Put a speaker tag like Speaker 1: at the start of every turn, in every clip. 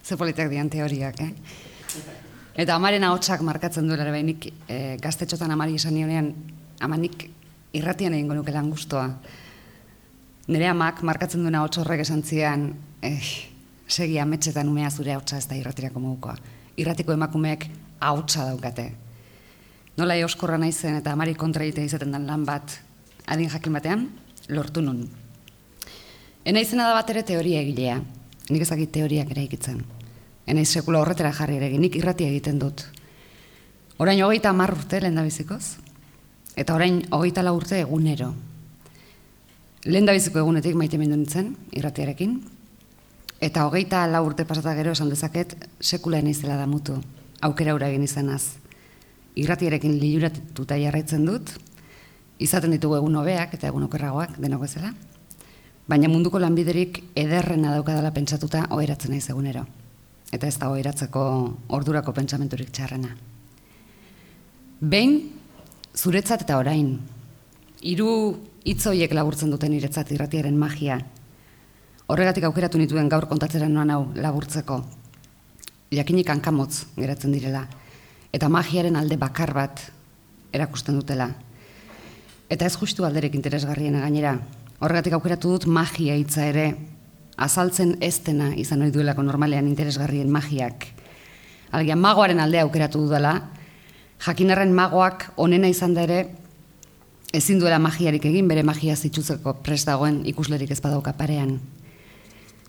Speaker 1: Ze politak dian teoriak, Eta amaren ahotsak markatzen duela ere nik gaztetxotan amari esan nionean, amanik irratian egingo nuke lan guztua. Nire amak markatzen duena ahots horrek esan zian, segi ametsetan umea zure ahotsa ez da irratirako modukoa. Irratiko emakumeek ahotsa daukate. Nola euskorra naizen eta amari kontra egitea izaten den lan bat adin jakin batean, lortu nun. Enaizena da bat ere teoria egilea. Nik ezakit teoriak ere ikitzen. Enaiz sekula horretara jarri ere nik irratia egiten dut. Orain 30 urte lehendabizikoz, eta orain 24 urte egunero. Lehendabiziko egunetik maite mindu nintzen, irratiarekin, eta 24 urte pasata gero esan dezaket sekula enaizela damutu, aukera hura egin izanaz. Irratiarekin liluratuta jarraitzen dut, izaten ditugu egun hobeak eta egun okerragoak denok bezala, baina munduko lanbiderik ederrena daukadala pentsatuta oheratzen naiz egunero. Eta ez da oheratzeko ordurako pentsamenturik txarrena. Behin, zuretzat eta orain, 3 hitz horiek laburtzen duten niretzat irratiaren magia. Horregatik aukeratu nituen gaur kontatzera noan hau laburtzeko. Jakinik hankamotz geratzen direla. Eta magiaren alde bakar bat erakusten dutela. Eta ez justu alderek interesgarriena gainera. Horregatik aukeratu dut magia hitza ere, azaltzen ez dena izan ohi duelako normalean interesgarrien magiak. Alegia magoaren aldea aukeratu dudala, jakinarren magoak onena izan da ere, ezin duela magiarik egin, bere magia zituzeko prest dagoen ikuslerik ez badauka parean.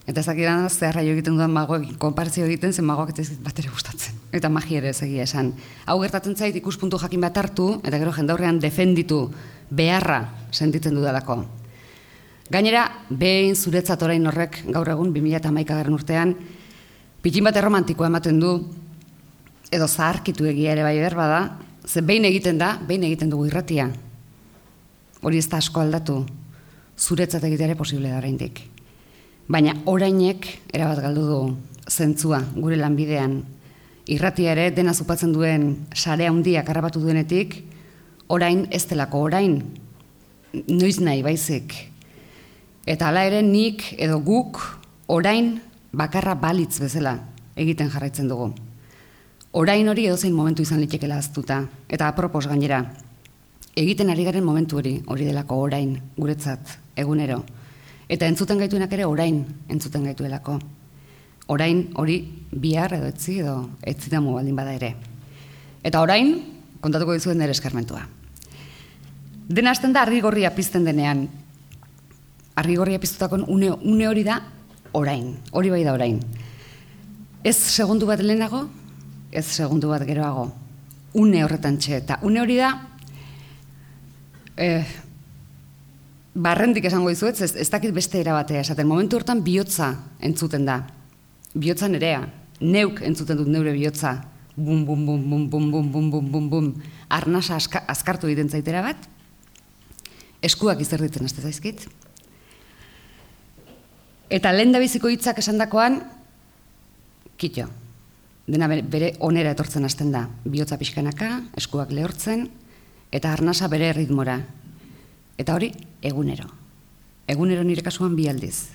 Speaker 1: Eta ezakidan zeharra egiten dudan magoekin konparazio egiten, zen magoak ez bat ere gustatzen. Eta magia ere ez egia esan. Hau gertatzen zait ikuspuntu jakin bat hartu, eta gero jendaurrean defenditu beharra sentitzen dudalako. Gainera, behin zuretzat orain horrek gaur egun 2011 urtean pikin bat erromantikoa ematen du, edo zaharkitu egia ere bai berbada, ze behin egiten dugu irratia. Hori ez da asko aldatu, zuretzat egitea ere posible da oraindik. Baina orainek erabat galdu du zentzua gure lanbidean. Irratia ere dena zupatzen duen sare handiak harrapatu duenetik, orain ez delako orain, noiz nahi baizik. Eta hala ere nik edo guk orain bakarra balitz bezala egiten jarraitzen dugu. Orain hori edozein momentu izan litekela ahaztuta, eta apropos gainera. Egiten ari garen momentu hori delako orain, guretzat, egunero. Eta entzuten gaituenak ere orain entzuten gaituelako. Orain hori bihar edo etzi damu baldin bada ere. Eta orain, kontatuko dizuen nire eskarmentua. Dena hasten da argi gorria pizten denean. Argi gorria piztutakon une hori da orain. Hori bai da orain. Ez segundu bat lehenago, ez segundu bat geroago. Une horretan eta une hori da barrendik esango dizuet, ez dakit beste erabatea esaten. Momentu hortan bihotza entzuten da. Bihotza nerea. Neuk entzuten dut neure bihotza. Bum, bum, bum, bum, bum, bum, bum, bum, bum, bum. Arnasa azkartu egiten zaitera bat. Eskuak izerditzen haste zaizkit. Eta lehendabiziko hitzak esandakoan, kitxo. Dena bere onera etortzen hasten da. Bihotza pixkanaka, eskuak lehortzen, eta arnasa bere ritmora. Eta hori, egunero. Egunero nire kasuan 2 aldiz.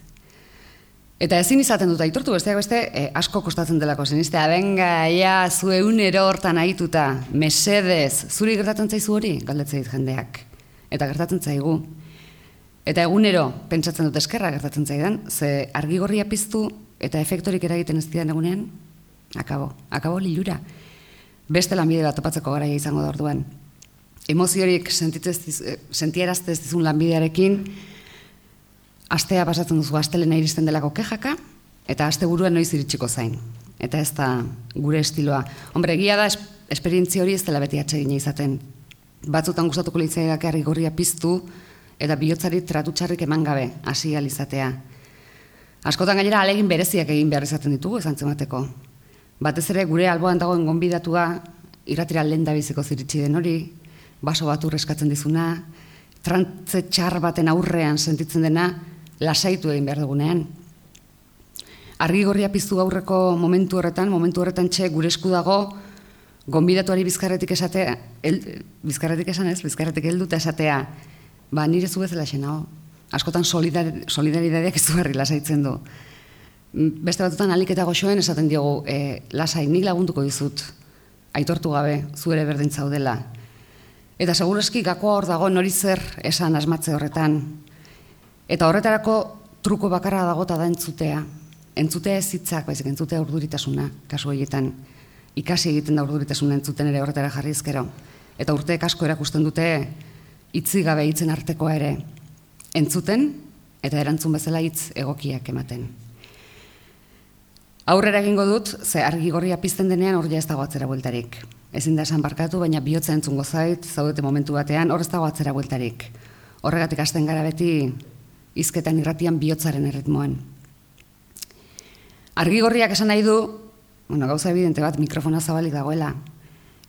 Speaker 1: Eta ezin izaten dut aitortu, besteak beste, asko kostatzen delako zenistea. Benga, ja, zu egunero hortan ahituta, mesedez, zuri gertatzen zaizu hori, galdetzeit jendeak. Eta gertatzen zaigu. Eta egunero, pentsatzen dut eskerra gertatzen zaidan, ze argigorria piztu eta efektorik eragiten ez didan egunean, akabo lilura. Beste lanbide bat topatzeko garaia izango da orduan. Emoziorik sentierazte ez dizun lanbidearekin, astea pasatzen duzu astelena iristen delako kejaka, eta asteburuan noiz iritsiko zain. Eta ez da gure estiloa. Hombre, egia da, esperientzia hori ez dela beti atsegina izaten. Batzutan gustatuko litzaidak argigorria piztu, eta bihotzari tratutxarrik eman gabe hasi ahal izatea. Askotan gainera ahalegin bereziak egin behar izaten ditugu esan zemateko. Batez ere gure alboan dagoen gonbidatua irratira lehendabiziko ziritsi den hori, baso bat eskatzen dizuna, trantze txar baten aurrean sentitzen dena lasaitu egin behar dugunean. Argigorria piztu aurreko momentu horretan gure esku dago gonbidatuari bizkarretik helduta esatea, nire zu bezala xenao. Askotan solidaridadeak izugarri lasaitzen du. Beste batutan alik eta goxoen esaten diogu, lasai, nik lagunduko dizut, aitortu gabe, zu ere berdin zaudela. Eta segurazki gakoa hor dago nori zer esan asmatze horretan. Eta horretarako truko bakarra dagota da entzutea. Entzutea ez hitzak, baizik entzutea urduritasuna, kasu horietan. Ikasi egiten da urduritasuna entzuten ere horretara jarri ezkero. Eta urteek asko erakusten dute hitzi gabe hitzen artekoa ere. Entzuten eta erantzun bezala hitz egokiak ematen. Aurrera egingo dut, ze argi gorria pizten denean hor ja ez dago atzera bueltarik. Ezin da esan barkatu, baina bihotza entzungo zait, zaudete momentu batean, hor ez dago atzera bueltarik. Horregatik hasten gara beti hizketan irratian bihotzaren erritmoan. Argi gorriak esan nahi du, gauza evidente bat, mikrofona zabalik dagoela.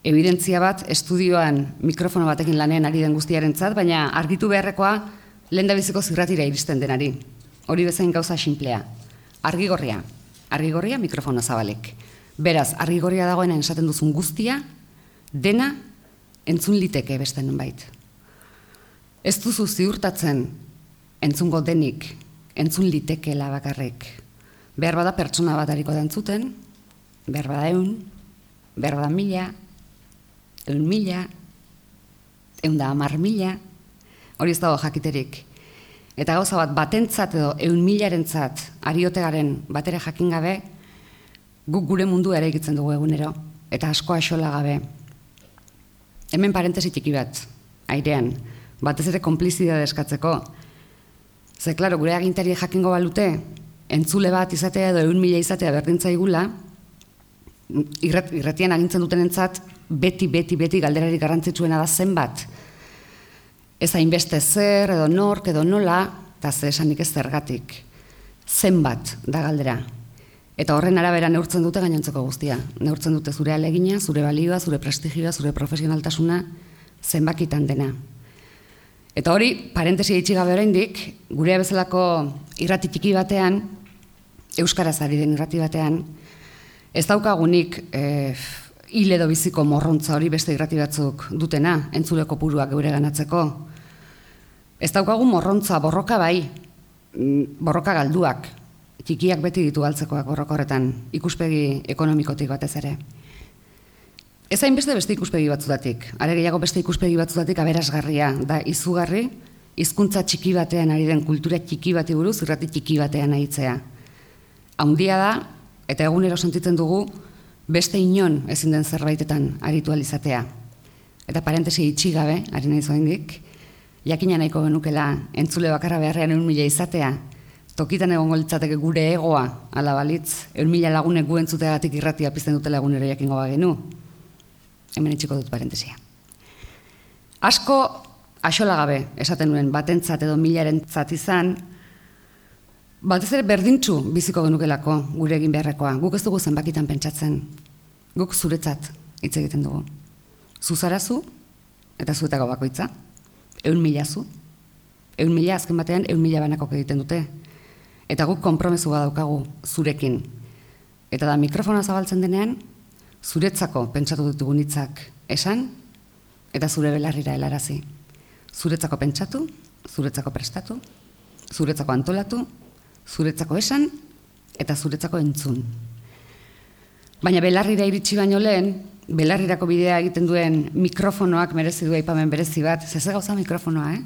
Speaker 1: Evidentzia bat, estudioan mikrofono batekin lanean ari den guztiarentzat, baina argitu beharrekoa lehendabiziko zirratira iristen denari. Hori bezain gauza sinplea. Argi gorria mikrofono zabalik. Beraz, argi gorria dagoena esaten duzun guztia, dena entzun liteke beste nonbait. Ez duzu ziurtatzen entzungo denik, entzun litekeela bakarrik. Behar bada pertsona bat hariko da entzuten, behar bada 100, behar bada 1000, 100.000, 110.000, hori ez dago jakiterik. Eta gauza bat, batentzat edo 100.000-arentzat ariotegaren batera jakin gabe, guk gure mundu ere egitzen dugu egunero, eta asko axola gabe. Hemen parentesi txiki bat, airean, batez ere konplizidade eskatzeko. Ze, klaro, gure agintari jakingo balute, entzule bat izatea edo 100.000 izatea berdintzaigula, irratian agintzen dutenentzat beti galderarik garrantzitsuena da zenbat. Ez hainbeste zer, edo nork, edo nola, eta ze esanik ez zergatik. Zenbat da galdera. Eta horren arabera neurtzen dute gainontzeko guztia. Neurtzen dute zure alegina, zure balioa, zure prestigioa, zure profesionaltasuna, zenbakitan dena. Eta hori, parentesi itxigabe oraindik, gure bezalako irrati txiki batean, euskaraz ari den irrati batean, ez daukagunik hil edo biziko morrontza hori beste irrati batzuk dutena, entzule kopuruak geure ganatzeko. Ez daukagu morrontza, borroka bai, borroka galduak, txikiak beti ditu galtzekoak borroka horretan, ikuspegi ekonomikotik batez ere. Ez hainbeste beste ikuspegi batzutatik, are gehiago beste ikuspegi batzutatik aberasgarria, da izugarri, hizkuntza txiki batean ari den kultura txiki bati buruz, irrati txiki batean aritzea. Haundia da, eta egunero sentitzen dugu, beste inon ezin den zerbaitetan aritu alizatea. Eta parentesi itxigabe, ari nahi zoindik, jakina nahiko genukela entzule bakarra beharrean 100.000 izatea, tokitan egongo litzateke gure egoa, ala balitz, 100.000 lagunek gu entzuteagatik irratia pizten dutela egunero jakingo bagenu. Hemen itxiko dut parentesia. Asko axola gabe esaten nuen batentzat edo 1000-arentzat izan, batez ere berdintxu biziko genukelako gure egin beharrekoa. Guk ez dugu zenbakitan pentsatzen. Guk zuretzat hitz egiten dugu. Zuzarazu eta zuetako bakoitza. 100.000 zu. 100.000 azken batean 100.000 banakok egiten dute. Eta guk konpromesu badaukagu zurekin. Eta da mikrofona zabaltzen denean, zuretzako pentsatu ditugun hitzak esan, eta zure belarrira helarazi. Zuretzako pentsatu, zuretzako prestatu, zuretzako antolatu, zuretzako esan, eta zuretzako entzun. Baina belarrira iritsi baino lehen, belarrirako bidea egiten duen mikrofonoak merezi du aipamen berezi bat, zeze gauza mikrofonoa,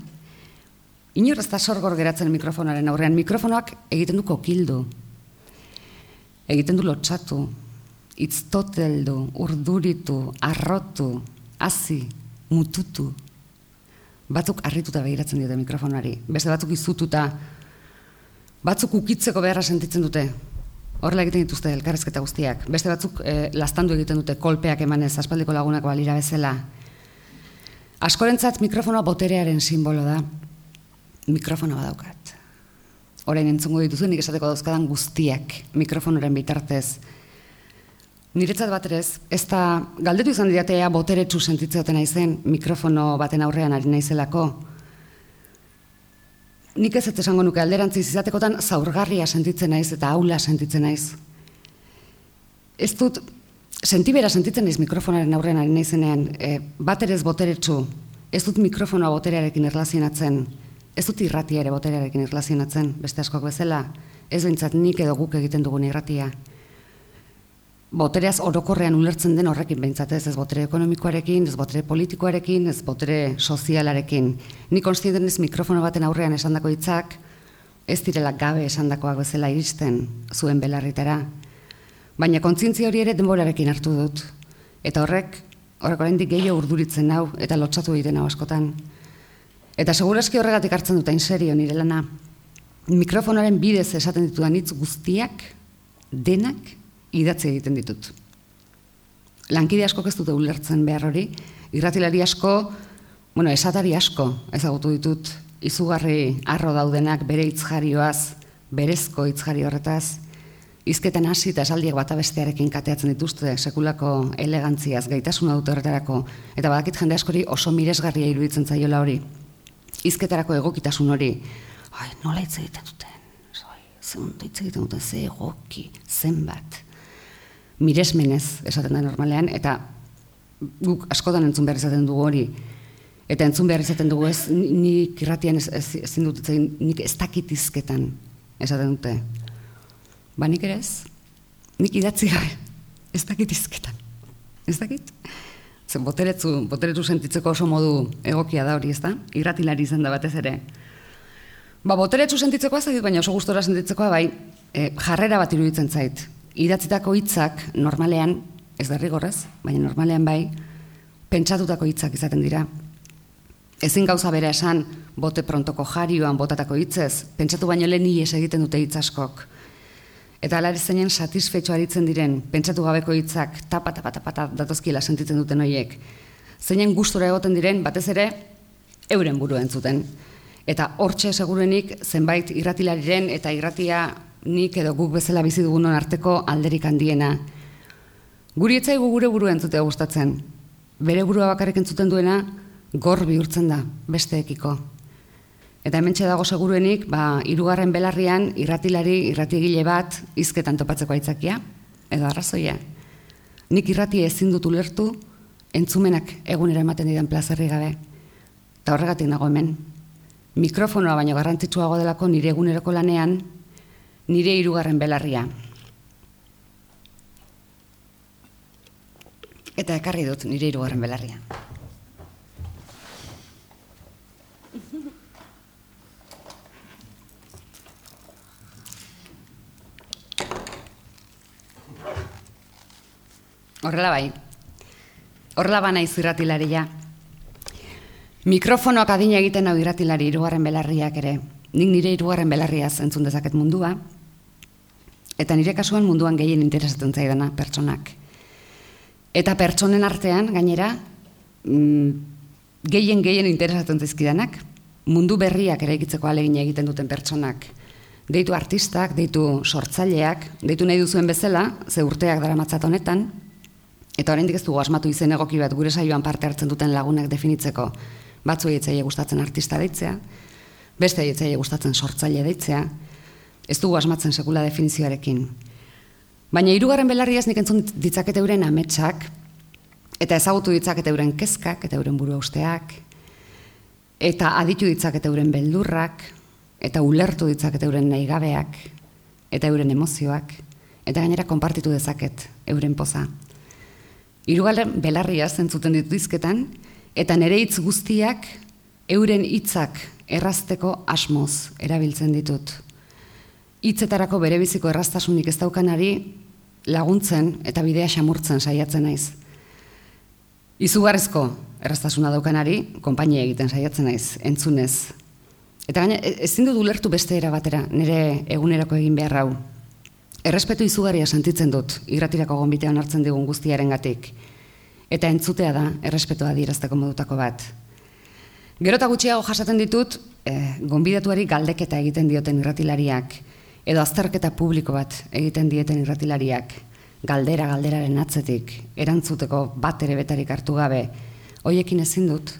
Speaker 1: Inor ez da sorgor geratzen mikrofonoaren aurrean, mikrofonoak egiten du kokildu, egiten du lotsatu, itztoteldu, urduritu, arrotu, hazi, mututu. Batzuk harrituta begiratzen diote mikrofonari, beste batzuk izututa, batzuk ukitzeko beharra sentitzen dute. Horrela egiten dituzte elkarrezketa guztiak. Beste batzuk laztandu egiten dute kolpeak emanez, aspaldiko lagunak balira bezala. Askorentzat mikrofonoa boterearen simbolo da. Mikrofono badaukat. Orain entzungo dituzu nik esateko dauzkadan guztiak mikrofonoren bitartez. Niretzat baterez, ez da galdetu izan didatea boteretsu sentitzeoten naizen mikrofono baten aurrean ari naizelako. Nik ez esango nuke alderantziz izatekotan zaurgarria sentitzen naiz eta aula sentitzen naiz. Ez dut, sentibera sentitzen naiz mikrofonaren aurrean ari naizenean, baterez boteretsu, ez dut mikrofonoa boterearekin erlazionatzen, ez dut irratia ere boterearekin erlazionatzen, beste askok bezala, ez behintzat nik edo guk egiten dugun irratia. Botereaz orokorrean ulertzen den horrekin behintzat ez botere ekonomikoarekin, ez botere politikoarekin, ez botere sozialarekin. Ni konstienten ez mikrofono baten aurrean esandako hitzak, ez direla gabe esandakoak bezala iristen zuen belarritara. Baina kontzientzia hori ere denborarekin hartu dut. Eta horrek oraindik gehiago urduritzen hau eta lotsatu egiten hau askotan. Eta segurazki horregatik hartzen dut hain serio nire lana. Mikrofonoaren bidez esaten ditudan hitz guztiak, denak, idatzi egiten ditut. Lankide asko ez dute ulertzen behar hori, irratilari asko, esatari asko ezagutu ditut, izugarri arro daudenak bere hitzjarioaz, berezko hitzjari horretaz, hizketan hasi eta esaldiak bata bestearekin kateatzen dituzte, sekulako elegantziaz, gaitasuna dute horretarako, eta badakit jende askori oso miresgarria iruditzen zaiola hori. Hizketarako egokitasun hori, nola hitz egiten duten, ze egiten duten, ze egoki, zenbat. Miresmenez esaten da normalean, eta guk askotan entzun behar izaten dugu hori. Eta entzun behar izaten dugu ez, nik irratian ezin dut, nik ez dakit hizketan esaten dute. Ba nik ere ez, nik idatzi gabe, ez dakit hizketan. Ez dakit? Zer boteretsu sentitzeko oso modu egokia da hori, ez da? Irratilari izan da batez ere. Ba boteretsu sentitzekoa zait, baina oso gustora sentitzekoa bai, jarrera bat iruditzen zait. Idatzitako hitzak normalean, ez derrigorrez, baina normalean bai, pentsatutako hitzak izaten dira. Ezin gauza bera esan, bote prontoko jarioan botatako hitzez, pentsatu baino lehen ihes egiten dute hitz askok. Eta alare zeinen satisfetxo aritzen diren, pentsatu gabeko hitzak, tapa datozkiela sentitzen duten horiek. Zeinen gustora egoten diren, batez ere, euren burua entzuten. Eta hortxe segurenik zenbait irratilariren eta irratia nik edo guk bezala bizi dugunon arteko alderik handiena. Guri etzaigu gure burua entzutea gustatzen. Bere burua bakarrik entzuten duena gor bihurtzen da besteekiko. Eta hementxe dago seguruenik, hirugarren belarrian irratiegile bat hizketan topatzeko aitzakia edo arrazoia. Nik irratia ezin dut ulertu entzumenak egunera ematen didan plazerri gabe. Eta horregatik nago hemen. Mikrofonoa baino garrantzitsuago delako nire eguneroko lanean, nire hirugarren belarria. Eta ekarri dut nire hirugarren belarria. Horrela bai. Horrela banaiz irratilaria. Mikrofonoak adina egiten hau irratilari hirugarren belarriak ere. Nik nire hirugarren belarriaz entzun dezaket mundua, eta nire kasuan munduan gehien interesatzen zaidana pertsonak. Eta pertsonen artean, gainera, gehien interesatzen zaizkidanak, mundu berriak eraikitzeko ahalegina egiten duten pertsonak. Deitu artistak, deitu sortzaileak, deitu nahi duzuen bezala, ze urteak daramatzat honetan, eta oraindik ez dugu asmatu izen egoki bat gure saioan parte hartzen duten lagunak definitzeko. Batzuei etzaile gustatzen artista deitzea, beste etzaile gustatzen sortzaile deitzea, ez dugu asmatzen sekula definizioarekin. Baina hirugarren belarriaz nik entzun ditzakete euren ametsak, eta ezagutu ditzakete euren kezkak, eta euren burua usteak, eta aditu ditzakete euren beldurrak, eta ulertu ditzakete euren nahigabeak, eta euren emozioak, eta gainera konpartitu dezaket euren poza. Hirugarren belarriaz entzuten ditu hizketan, eta nire hitz guztiak euren hitzak errazteko asmoz erabiltzen ditut. Hitzetarako berebiziko erraztasunik ez daukanari laguntzen eta bidea xamurtzen saiatzen naiz. Izugarrizko erraztasuna daukanari konpainia egiten saiatzen naiz, entzunez. Eta gaina ezin dut ulertu beste era batera, nire egunerako egin behar hau. Errespetu izugarria sentitzen dut, irratirako gonbitean hartzen digun guztiarengatik. Eta entzutea da, errespetua adierazteko modutako bat. Gero eta gutxiago jasaten ditut, gonbidatuari galdeketa egiten dioten irratilariak, edo azterketa publiko bat egiten dieten irratilariak, galderaren atzetik, erantzuteko bat ere betarik hartu gabe, hoiekin ezin dut.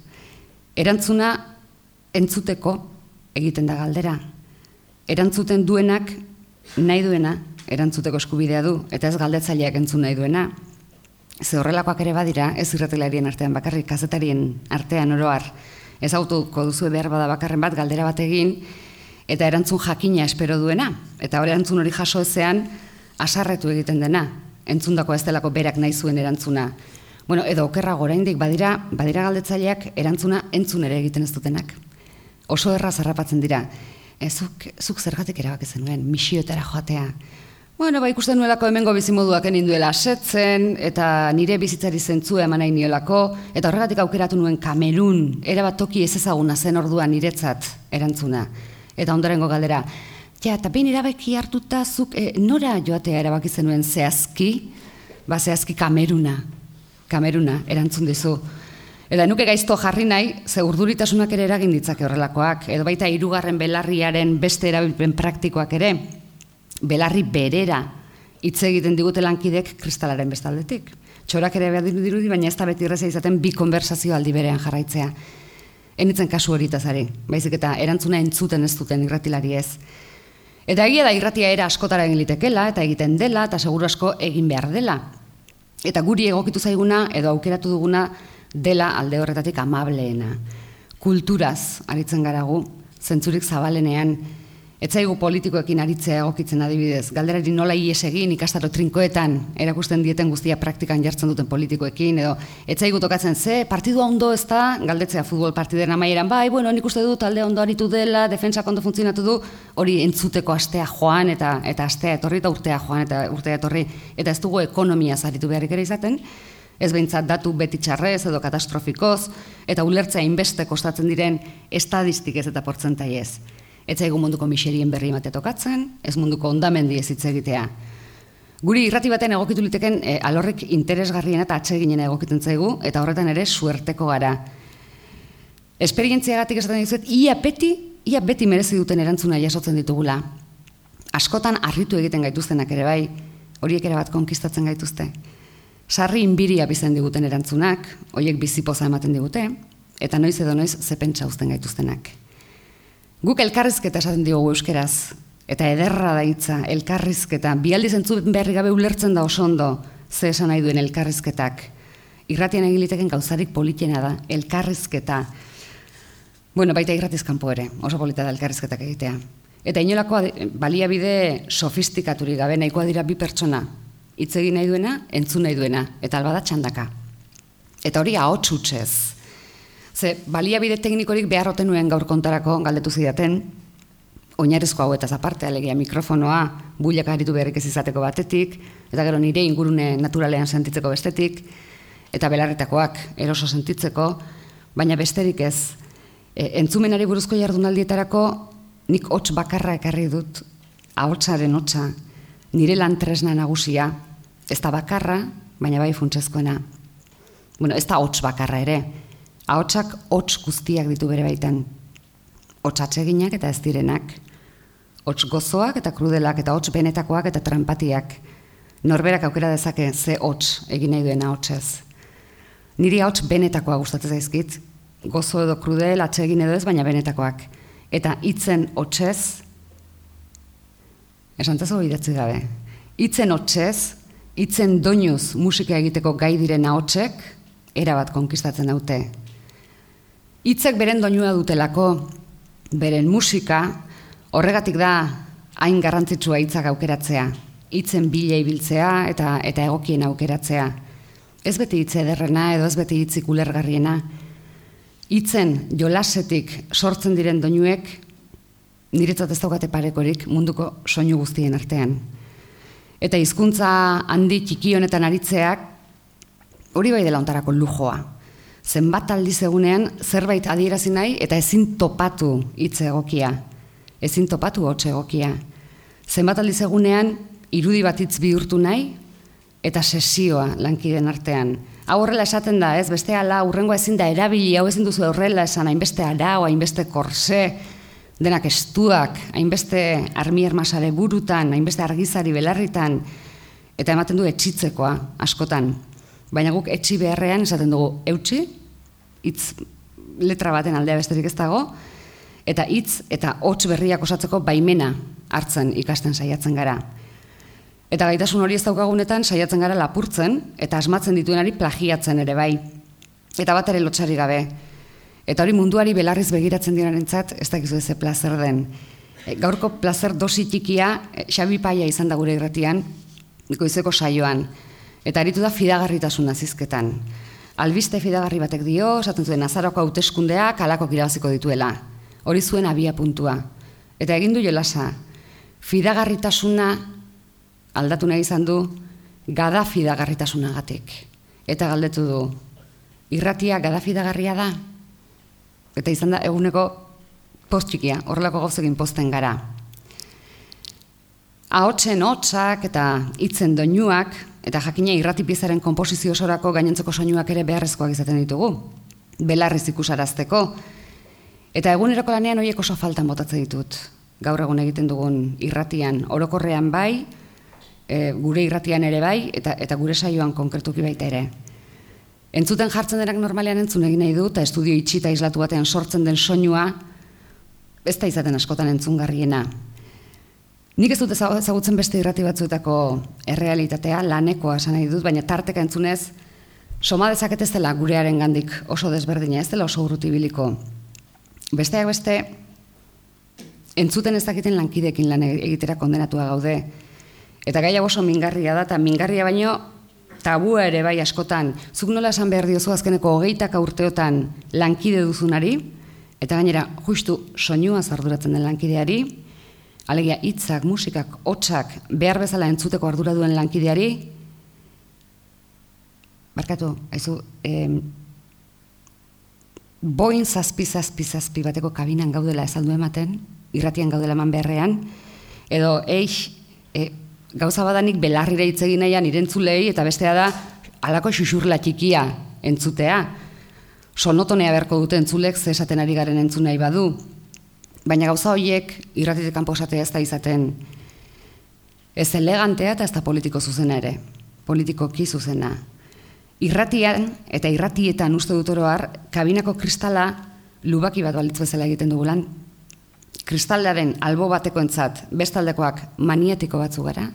Speaker 1: Erantzuna entzuteko egiten da galdera. Erantzuten duenak nahi duena, erantzuteko eskubidea du, eta ez galdetzaileak entzun nahi duena. Ze horrelakoak ere badira, ez irratilarien artean bakarrik, kazetarien artean oroar, ez autoko duzu behar bada bakarren bat, galdera bat egin, eta erantzun jakina espero duena, eta hori erantzun hori jaso ezean asarretu egiten dena, entzundako ez delako berak nahi zuen erantzuna. Bueno, edo okerrago oraindik badira galdetzaileak erantzuna entzun ere egiten ez dutenak. Oso erraz harrapatzen dira. Zuk zergatik erabaki zenuen, misioetara joatea. Bueno, ikusten nuelako hemengo bizimoduak ninduela asetzen, eta nire bizitzari zentzua eman nahi niolako, eta horregatik aukeratu nuen Kamerun, erabat toki ez ezaguna zen orduan niretzat erantzuna. Eta ondorengo galdera, eta behin erabaki hartuta zuk nora joatea erabaki zenuen zehazki? Zehazki Kameruna erantzun dizu. Eta nuke gaizto jarri nahi, ze urduritasunak ere eragin ditzake horrelakoak, edo baita 3. belarriaren beste erabilpen praktikoak ere, belarri berera hitz egiten digute lankidek kristalaren bestaldetik. Txorak ere behar dirudi, baina ez da beti erraza izaten bi konversazio aldi berean jarraitzea. Enitzen kasu horitazari, baizik eta erantzuna entzuten ez duten irratilari ez. Eta egia da irratia era askotara egin litekela, eta egiten dela, eta seguru asko egin behar dela. Eta guri egokitu zaiguna, edo aukeratu duguna, dela alde horretatik amableena. Kulturaz aritzen garagu, zentzurik zabalenean, etzaigu politikoekin aritzea egokitzen adibidez, galderari nola ies egin ikastaro trinkoetan erakusten dieten guztia praktikan jartzen duten politikoekin, edo etzaigu tokatzen partidua ondo ez da, galdetzea futbol partideren amaieran, nik uste dut talde ondo aritu dela, defentsak ondo funtzionatu du, hori entzuteko astea joan, eta astea etorri, eta urtea joan, eta urtea etorri, eta ez dugu ekonomiaz aritu beharrik ere izaten, ez behintzat datu beti txarrez edo katastrofikoz, eta ulertzea inbeste kostatzen diren estadistikez eta portzentaiez. Ez zaigu munduko miserien berri ematea tokatzen, ez munduko hondamendi ez hitz egitea. Guri irrati baten egokitu liteken alorrik interesgarriena eta atseginen egokiten zaigu, eta horretan ere suerteko gara. Esperientziagatik esaten dizuet, ia beti merezi duten erantzuna jasotzen ditugula. Askotan harritu egiten gaituztenak ere bai, horiek ere bat konkistatzen gaituzte. Sarri inbiria bizen diguten erantzunak, horiek bizipoza ematen digute, eta noiz edo noiz zepentsa uzten gaituztenak. Guk elkarrizketa esaten diogu euskeraz, eta ederra da hitza, elkarrizketa, bi aldiz entzun berri gabe ulertzen da oso ondo, ze esan nahi duen elkarrizketak. Irratian egin liteken gauzarik politiena da, elkarrizketa. Bueno, baita irratiz kanpo ere, oso polita da elkarrizketak egitea. Eta inolako baliabide sofistikaturik gabe nahikoa dira bi pertsona, hitz egin nahi duena, entzun nahi duena, eta albada txandaka. Eta hori ahots hutsez. Ze baliabide teknikorik behar oten nuen gaur kontarako galdetu zidaten, oinarrizko hauetaz aparte, alegia mikrofonoa, builak aritu beharrik ez izateko batetik, eta gero nire ingurune naturalean sentitzeko bestetik, eta belarritakoak eroso sentitzeko, baina besterik ez. Entzumenari buruzko jardunaldietarako nik hots bakarra ekarri dut, ahotsaren hotsa, nire lan tresna nagusia, ez da bakarra, baina bai funtsezkoena. Bueno, ez da hots bakarra ere, ahotsak hots guztiak ditu bere baitan. Hots atseginak eta ez direnak. Hots gozoak eta krudelak eta hots benetakoak eta trampatiak. Norberak aukera dezake ze hots egin nahi duena hotsez. Niri hots benetakoa gustatzen zaizkit. Gozo edo krudel, atsegin edo ez, baina benetakoak. Eta hitzen hotsez, esantazo idatzi gabe, hitzen hotsez, hitzen doinuz musika egiteko gai diren ahotsek, erabat konkistatzen daute. Hitzek beren doinua dutelako, beren musika, horregatik da hain garrantzitsua hitzak aukeratzea, hitzen bila ibiltzea eta egokien aukeratzea. Ez beti hitz ederrena edo ez beti hitzik ulergarriena. Hitzen jolasetik sortzen diren doinuek niretzat ez daukate parekorik munduko soinu guztien artean. Eta hizkuntza handi txiki honetan aritzeak hori bai dela ontarako lujoa. Zenbat aldiz egunean zerbait adierazi nahi eta ezin topatu hitz egokia. Ezin topatu hots egokia. Zenbat aldiz egunean irudi bat hitz bihurtu nahi eta sesioa lankideen artean. Hau horrela esaten da, ez? Beste ala, hurrengoa ezin da erabili, hau ezin duzu horrela esan, hainbeste arau, hainbeste korse, denak estuak, hainbeste armi-armasare burutan, hainbeste argizari belarritan, eta ematen du etxitzekoa, askotan. Baina guk etxi beharrean esaten dugu eutxi, hitz letra baten aldea besterik ez dago, eta hitz eta hots berriak osatzeko baimena hartzen ikasten saiatzen gara. Eta gaitasun hori ez daukagunetan saiatzen gara lapurtzen, eta asmatzen dituenari plagiatzen ere bai. Eta bat ere lotsari gabe. Eta hori munduari belarriz begiratzen dirarentzat, ez dakizu eze plazer den. Gaurko plazer dosi txikia Xabi Paia izan da gure irratian, goizeko saioan, eta aritu da fidagarritasun azizketan. Albiste fidagarri batek dio, esaten zuen Azaroko hauteskundeak halako irabaziko dituela. Hori zuen abia puntua. Eta egin du jolasa, fidagarritasuna aldatu nahi izan du, gada fidagarritasunagatik. Eta galdetu du, irratia gada fidagarria da? Eta izan da eguneko post txikia, horrelako gauzekin posten gara. Ahotsen hotsak eta hitzen doinuak, eta jakina irrati piezaren konposizio osorako gainontzeko soinuak ere beharrezkoak izaten ditugu, belarriz ikusarazteko. Eta eguneroko lanean horiek oso faltan botatzen ditut. Gaur egun egiten dugun irratian, orokorrean bai, gure irratian ere bai, eta gure saioan konkretuki baita ere. Entzuten jartzen denak normalean entzun egin nahi du, eta estudio itxita islatu batean sortzen den soinua, ez da izaten askotan entzungarriena. Nik ez dut ezagutzen beste irrati batzuetako errealitatea, lanekoa esan nahi dut, baina tarteka entzunez, soma dezaket ez dela gurearen gandik oso desberdina, ez dela oso urruti biliko. Besteak beste, entzuten ez dakiten lankideekin lan egitera kondenatua gaude. Eta gai hau oso mingarria da, eta mingarria baino tabua ere bai askotan. Zuk nola esan behar diozu azkeneko 20 urteotan lankide duzunari, eta gainera justu soinua arduratzen den lankideari, alegia hitzak, musikak, hotsak behar bezala entzuteko ardura duen lankideari, barkatu, haizu, boin zazpi bateko kabinan gaudela ezaldu ematen, irratian gaudela eman beharrean, edo gauza badanik belarrire hitz egin nahian irentzulei, eta bestea da, halako xuxurla txikia entzutea. Sonotonea beharko dute entzulek, ze esaten ari garen entzun nahi badu. Baina gauza horiek irratitik kanpo esatea ez da izaten ez elegantea eta ez da politiko zuzena ere, politikoki zuzena. Irratian eta irratietan uste dut oro har, kabinako kristala lubaki bat balitz bezala egiten dugulan. Kristalaren albo batekoentzat bestaldekoak maniatiko batzu gara,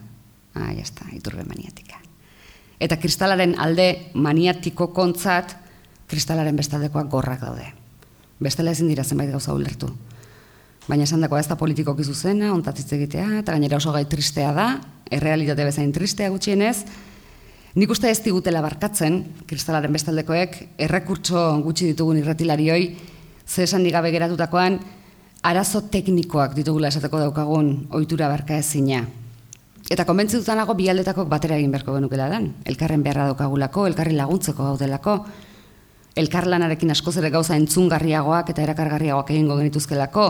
Speaker 1: jazta, iturbe maniatika. Eta kristalaren alde maniatiko kontzat, kristalaren bestaldekoak gorrak daude. Bestela ezin dira zenbait gauza ulertu. Baina esan dagoa ez da politikoki zuzena, ontatzitz egitea, eta gainera oso gai tristea da, errealitate bezain tristea gutxienez. Nik uste ez digutela barkatzen, kristalaren bestaldekoek, errekurtso gutxi ditugun irratilarioi, ze esan digabe geratutakoan, arazo teknikoak ditugula esateko daukagun ohitura barka ezina. Eta konbentzitutanago bi aldetakok batera egin beharko genukela dan. Elkarren beharra daukagulako, elkarri laguntzeko gaudelako, elkarlanarekin askoz ere gauza entzungarriagoak eta erakargarriagoak egingo genituzkelako,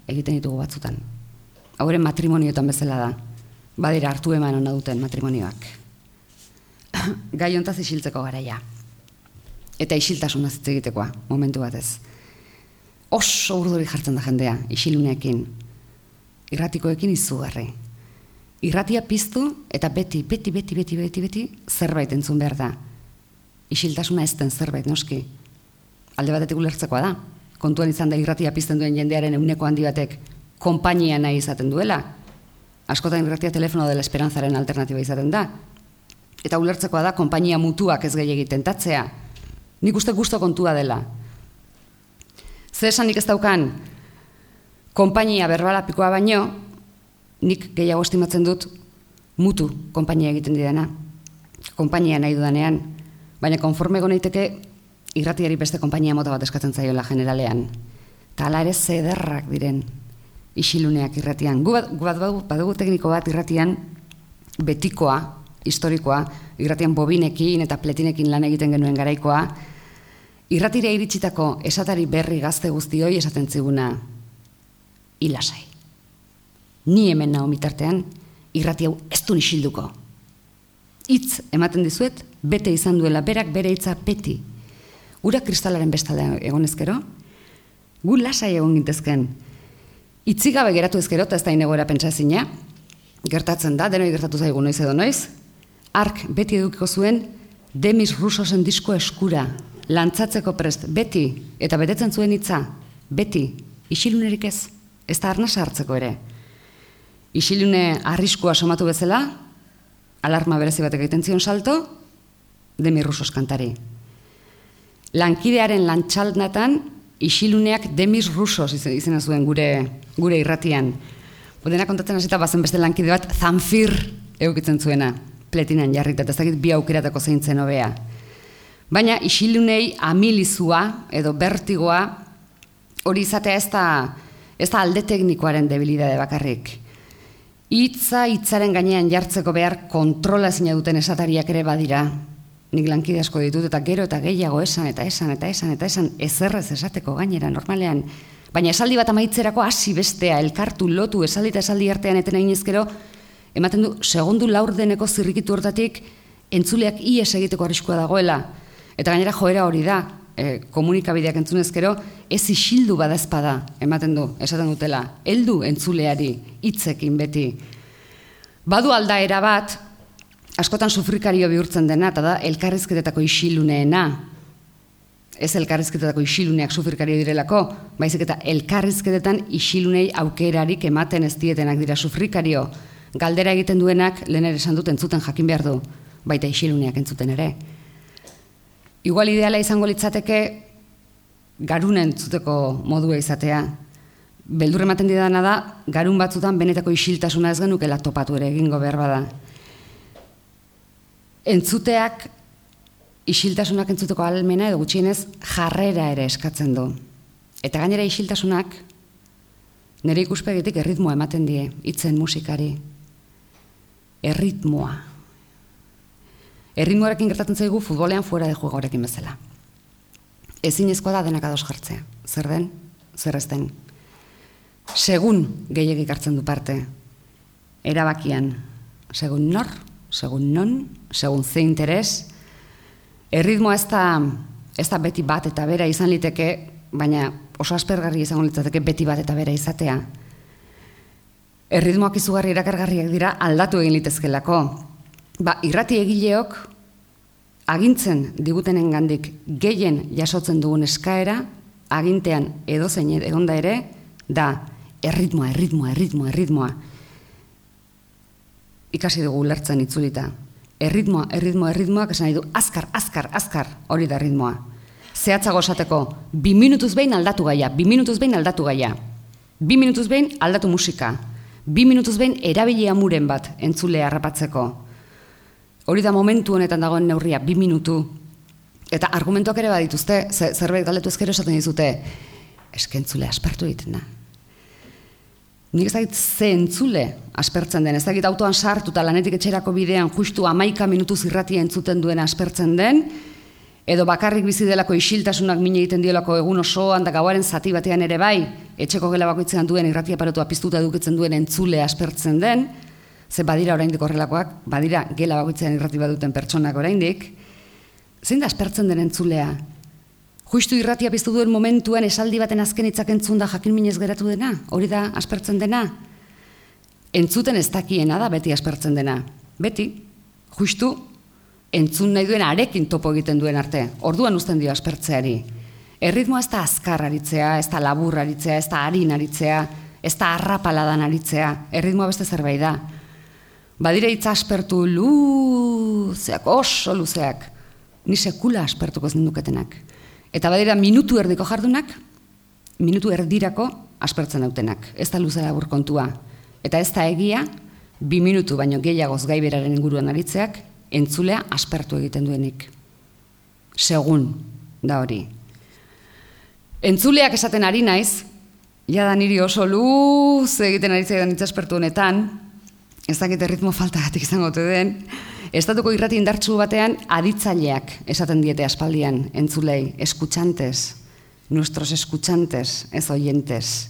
Speaker 1: egiten ditugu batzutan. Hauren matrimonioetan bezala da. Badira hartu eman hona duten matrimonioak. Gai hontaz isiltzeko garaia. Eta isiltasuna hitz egitekoa, momentu batez. Oso urduri jartzen da jendea, isiluneekin. Irratikoekin izugarri. Irratia piztu eta beti zerbait entzun behar da. Isiltasuna ez den zerbait, noski. Alde batetik ulertzekoa da. Kontuan izan da irratia pizten duen jendearen ehuneko handi batek konpainia nahi izaten duela. Askotan irratia telefono dela esperantzaren alternatiba izaten da. Eta ulertzekoa da konpainia mutuak ez gehiegi tentatzea. Nik uste gusto kontua dela. Zer esanik ez daukan konpainia berbalapikoa baino, nik gehiago estimatzen dut mutu konpainia egiten didana. Konpainia nahi dudanean, baina konforme goneiteke irratiari beste konpainia mota bat eskatzen zaiola generalean. Eta hala ere zederrak diren isiluneak irratian. Gu badugu tekniko bat irratian betikoa, historikoa, irratian bobinekin eta pletinekin lan egiten genuen garaikoa, irratira iritsitako esatari berri gazte guztioi esaten ziguna hilasai. Ni hemen nago mitartean, irrati hau ez du isilduko. Hitz ematen dizuet, bete izan duela, berak bere hitza beti. Ura kristalaren bestalde egonezkero, gu lasai egon gintezken. Itzigabe geratu ezkero, eta ez da inegoera pentsazina, gertatzen da, denoi gertatu zaigu noiz edo noiz, ark beti edukiko zuen Demis Roussosen disko eskura, lantzatzeko prest, beti, eta betetzen zuen hitza, beti, isilunerik ez da arnasa hartzeko ere. Isilune arriskua somatu bezala, alarma berezi batek egiten zion salto, Demis Roussos kantari. Lankidearen lantxaldnatan, isiluneak Demis Roussos izena zuen gure irratian. Dena kontatzen hasita bazen beste lankide bat Zamfir eukitzen zuena, pletinan jarrita, eta ez dakit bi aukeratako zeintzen hobea. Baina isilunei amilizua edo bertigoa hori izatea ez da alde teknikoaren debilidade bakarrik. Hitzaren gainean jartzeko behar kontrola ezina duten esatariak ere badira. Nik lankide asko ditut eta gero eta gehiago esan ezerrez esateko gainera normalean. Baina esaldi bat amaitzerako hasi bestea, elkartu, lotu, esaldi eta esaldi artean eten eginezkero, ematen du segundu laurdeneko zirrikitu hortatik entzuleak ies egiteko arriskua dagoela. Eta gainera joera hori da, komunikabideak entzunezkero, ez isildu badazpada, ematen du, esaten dutela, heldu entzuleari, hitzekin beti. Badu aldaera bat, askotan sufrikario bihurtzen dena, eta da elkarrizketetako isiluneena. Ez elkarrizketetako isiluneak sufrikario direlako, baizik eta elkarrizketetan isilunei aukerarik ematen ez dietenak dira sufrikario. Galdera egiten duenak, lehen ere esan dut entzuten jakin behar du, baita isiluneak entzuten ere. Igual ideala izango litzateke garun entzuteko modua izatea. Beldur ematen didana da, garun batzutan benetako isiltasuna ez genukela topatu ere egingo behar bada. Entzuteak, isiltasunak entzuteko ahalmena edo gutxienez jarrera ere eskatzen du. Eta gainera isiltasunak nire ikuspegitik erritmoa ematen die, hitzen musikari. Erritmoa. Erritmoarekin gertatzen zaigu futbolean fuera de juegorekin bezala. Ezinezkoa da denak ados jartzea. Zer den, zer ez den. Segun gehiagik hartzen du parte. Erabakian. Segun nor, segun non, segun ze interes. Erritmoa ez da beti bat eta bera izan liteke, baina oso aspergarri izango litzateke beti bat eta bera izatea. Erritmoak izugarri erakargarriak dira aldatu egin litezkelako. Irrati egileok agintzen digutenen gandik gehien jasotzen dugun eskaera, agintean edozein egonda ere, da erritmoa. Ikasi dugu ulertzen itzulita. Erritmoa, esan nahi du, azkar, hori da erritmoa. Zehatzago esateko, 2 minutuz behin aldatu gaia, 2 minutuz behin aldatu gaia. 2 minutuz behin aldatu musika. 2 minutuz behin erabili amuren bat entzulea harrapatzeko. Hori da momentu honetan dagoen neurria, 2 minutu. Eta argumentuak ere badituzte, zerbait galdetu ezkero esaten dizute, eske entzule aspertu egiten da. Nik ez dakit ze entzule aspertzen den, ez dakit autoan sartu eta lanetik etxerako bidean justu 11 minutuz irratia entzuten duen aspertzen den, edo bakarrik bizi delako isiltasunak mine egiten diolako egun osoan da gauaren zati batean ere bai, etxeko gela bakoitzean duen irratia aparatua piztuta edukitzen duen entzule aspertzen den, ze badira oraindik horrelakoak, badira gela bakoitzean irrati baduten pertsonak oraindik, zein da aspertzen den entzulea? Justu irratia piztu duen momentuan esaldi baten azken hitzak entzun da jakin minez geratu dena, hori da aspertzen dena? Entzuten ez dakiena da beti aspertzen dena. Beti, justu, entzun nahi duen arekin topo egiten duen arte, orduan uzten dio aspertzeari. Erritmoa ez da azkar aritzea, ez da labur aritzea, ez da harin aritzea, ez da arrapaladan aritzea, erritmoa beste zerbait da. Badire hitz aspertu luzeak, oso luzeak, ni sekula aspertuko ez ninduketenak. Eta badira minutu erdiko jardunak, minutu erdirako aspertzen dautenak. Ez da luze labur kontua. Eta ez da egia, 2 minutu baino gehiagoz gaiberaren inguruan aritzeak, entzulea aspertu egiten duenik. Segun, da hori. Entzuleak esaten ari naiz, jada niri oso luze egiten ari zaidan hitz aspertu honetan, ez dakit erritmo faltagatik izango ote den, estatuko irrati indartsu batean aditzaileak esaten diete aspaldian entzulei, eskuchantes, nuestros eskuchantes, ez oyentes.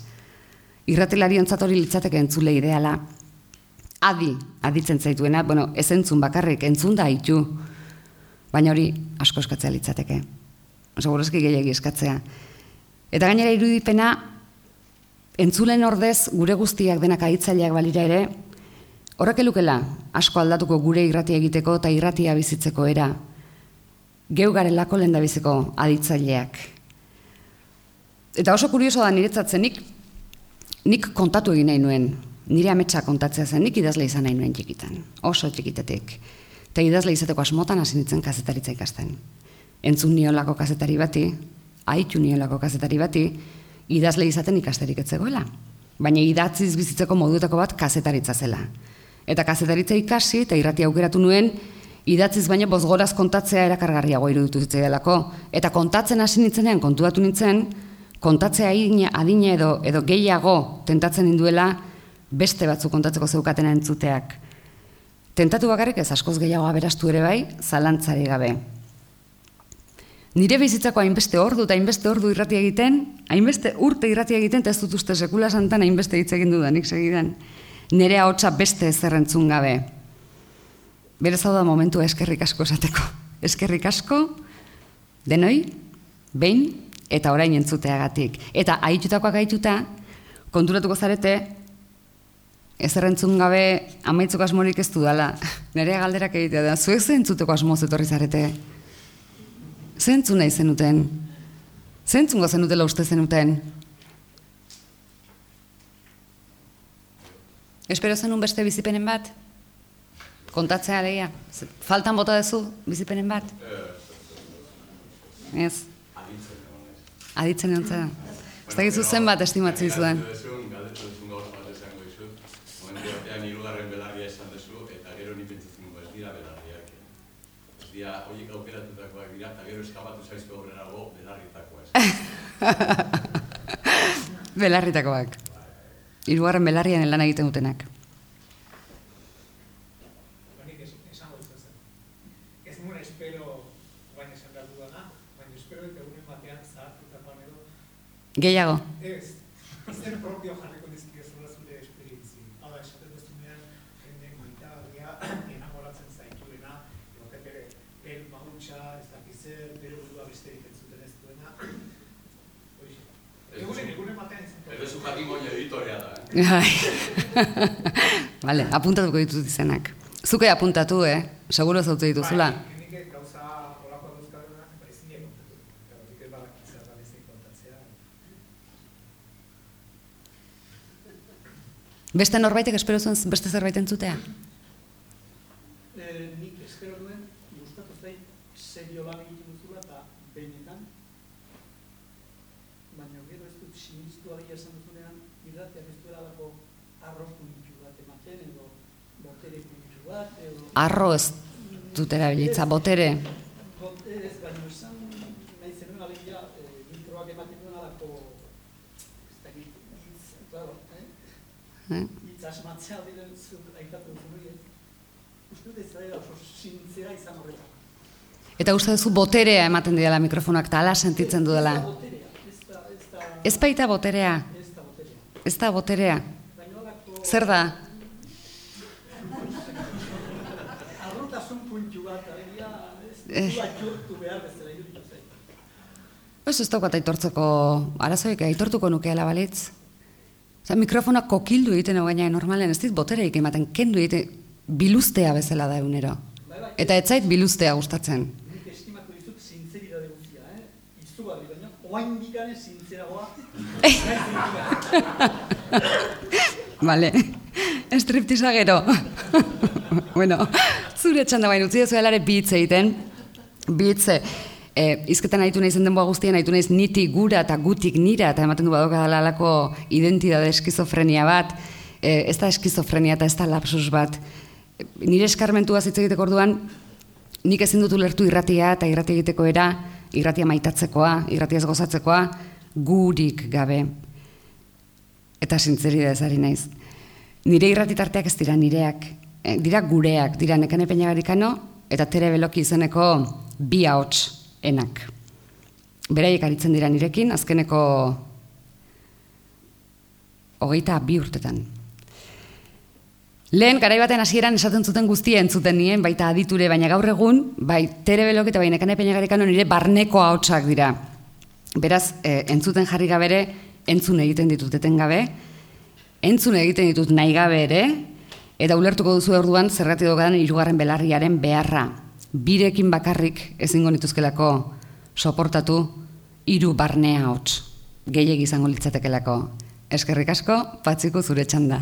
Speaker 1: Irratilarientzat hori litzateke entzule ideala. Aditzen zaituena, ez entzun bakarrik, entzun da hitu, baina hori asko eskatzea litzateke. Segurazki gehiagi eskatzea. Eta gainera irudipena, entzulen ordez gure guztiak denak aditzaileak balira ere, horrek elukela asko aldatuko gure irratia egiteko eta irratia bizitzeko era. Geu garelako lehendabiziko aditzaileak. Eta oso kurioso da niretzatzen nik kontatu egin nahi nuen. Nire ametsa kontatzea zen, nik idazle izan nahi nuen txikitan. Oso txikitetik. Eta idazle izateko asmotan hasi nintzen kazetaritza ikasten. Entzun niolako kazetari bati, ahitu nielako kazetari bati, idazle izaten ikasterik ez zegoela. Baina idatziz bizitzeko moduetako bat kazetaritza zela. Eta kazetaritza ikasi eta irratia aukeratu nuen, idatziz baina bozgoraz kontatzea erakargarriago iruditu zitzaidalako. Eta kontatzen hasi nintzenean kontuatu nintzen, kontatzea adina edo gehiago tentatzen ninduela beste batzuk kontatzeko zeukatena entzuteak. Tentatu bakarrik ez askoz gehiago aberastu ere bai, zalantzari gabe. Nire bizitzako hainbeste ordu eta hainbeste ordu irratia egiten, hainbeste urte irratia egiten, eta ez dut uste sekula santan hainbeste hitz egin dudanik segidan. Nire ahotsa beste ezer entzun gabe. Berez hau da momentua eskerrik asko esateko. Eskerrik asko, denoi, behin, eta orain entzuteagatik. Eta ahitutakoak ahituta, konturatuko zarete, ezer entzun gabe amaitzeko asmorik ez dudala. Nire galderak egitea da, zuek ze entzuteko asmoz etorri zarete? Zentzun nahi zenuten? Zentzungo zenutela uste zenuten? Espero zenun beste bizipenen bat? Kontatzea lehia? Faltan bota dezu bizipenen bat? Ez? Aditzen egon zera. Ez da gizu zen bat estimatzen zuen. Horiek aukeratutakoak dira, eta gero eskapatu zaizko obrerago belarritakoa ez. Belarritakoak. Hirugarren belarrian lan egiten dutenak.
Speaker 2: Baina esango duzen. Ez nuen espero baina esan behar dudana, baina espero eta egunen batean zahartutakoan edo.
Speaker 1: Gehiago?
Speaker 2: Ez. Zer propio jarriko dizkidezula zure esperientzi. Hala, esaten duzunean, jende maitagarria enamoratzen zaituena, el mahutsa, ez dakizer, bere burua besterik entzuten ez duena. Egunen batean izan.
Speaker 3: Ez zu jakingo editorea da.
Speaker 1: Vale, apuntatuko ditut izenak. Zuke apuntatu, Seguro zautze dituzula.
Speaker 2: Nik gauza olakoa duzkadunak, ezin egin kontatu. Nik ez badakitzea da ezin kontatzea.
Speaker 1: Beste norbaitek espero zuen beste zerbait entzutea?
Speaker 4: Nik espero duen, gustatu zait, serio lan egiten duzula eta behinetan. Baina gero ez dut sinistu adia esan duzunean, irratiak ez duela lako arro puntu bat ematen, edo botere puntu bat, edo...
Speaker 1: Arro ez dut erabilitza, botere.
Speaker 4: Ez, baina esan nahi zenuen alegia mikroak ematen duen alako, ez dakit, hitz, claro, hitz asmatzea diren zut aitatu duzun hori, uste dut ez da oso sintzera izan horretan.
Speaker 1: Eta uste duzu boterea ematen didala mikrofonak, eta ala sentitzen dudala. Ez baita boterea. Ez da boterea. Zer da?
Speaker 4: Arrotasun puntu bat, alegia, ez du aitortu behar bezala iruditu zait.
Speaker 1: Ez daukat aitortzeko arazoik, aitortuko nukeela balitz. Mikrofonak kokildu egiten gaina normalen, ez dit botereik ematen, kendu egiten, biluztea bezala da egunero. Eta ez zait biluztea gustatzen.
Speaker 4: Nik estimatu dizut sinceridade guztia, izugarri baina, oain bikane sinzeragoa.
Speaker 1: Vale, estriptiza gero. Bueno, zure txanda bain utzi dezuelare bitz egiten. Bitze, izketan nahitu nahi denboa guztien, nahitu nahiz niti gura eta gutik nira, eta ematen du badokadala alako identidade eskizofrenia bat. Ez da eskizofrenia eta ez da lapsus bat. Nire eskarmentua hitz egiteko orduan, nik ezin dut ulertu irratia eta irratia egiteko era, irratia maitatzekoa, irratia ez gozatzekoa, gurik gabe. Eta sinceridadez ari naiz. Nire irratitarteak ez dira nireak, dira gureak, dira Nekane Peñagarikano eta Tere Beloki izeneko bi ahots enak. Beraiek aritzen dira nirekin, azkeneko 22 urtetan. Lehen, garai baten hasieran esaten zuten guztia entzuten nien, baita aditure, baina gaur egun, bai Tere Beloki eta bai Nekane Peñagarikano nire barneko ahotsak dira. Beraz, entzuten jarri gabere, entzun egiten ditut etengabe, entzun egiten ditut nahi gabe ere, eta ulertuko duzu orduan zergatik daukadan hirugarren belarriaren beharra. Birekin bakarrik ezingo nituzkelako soportatu 3 barnea ahots. Gehiegi izango litzatekelako. Eskerrik asko, Patxiku zure txanda.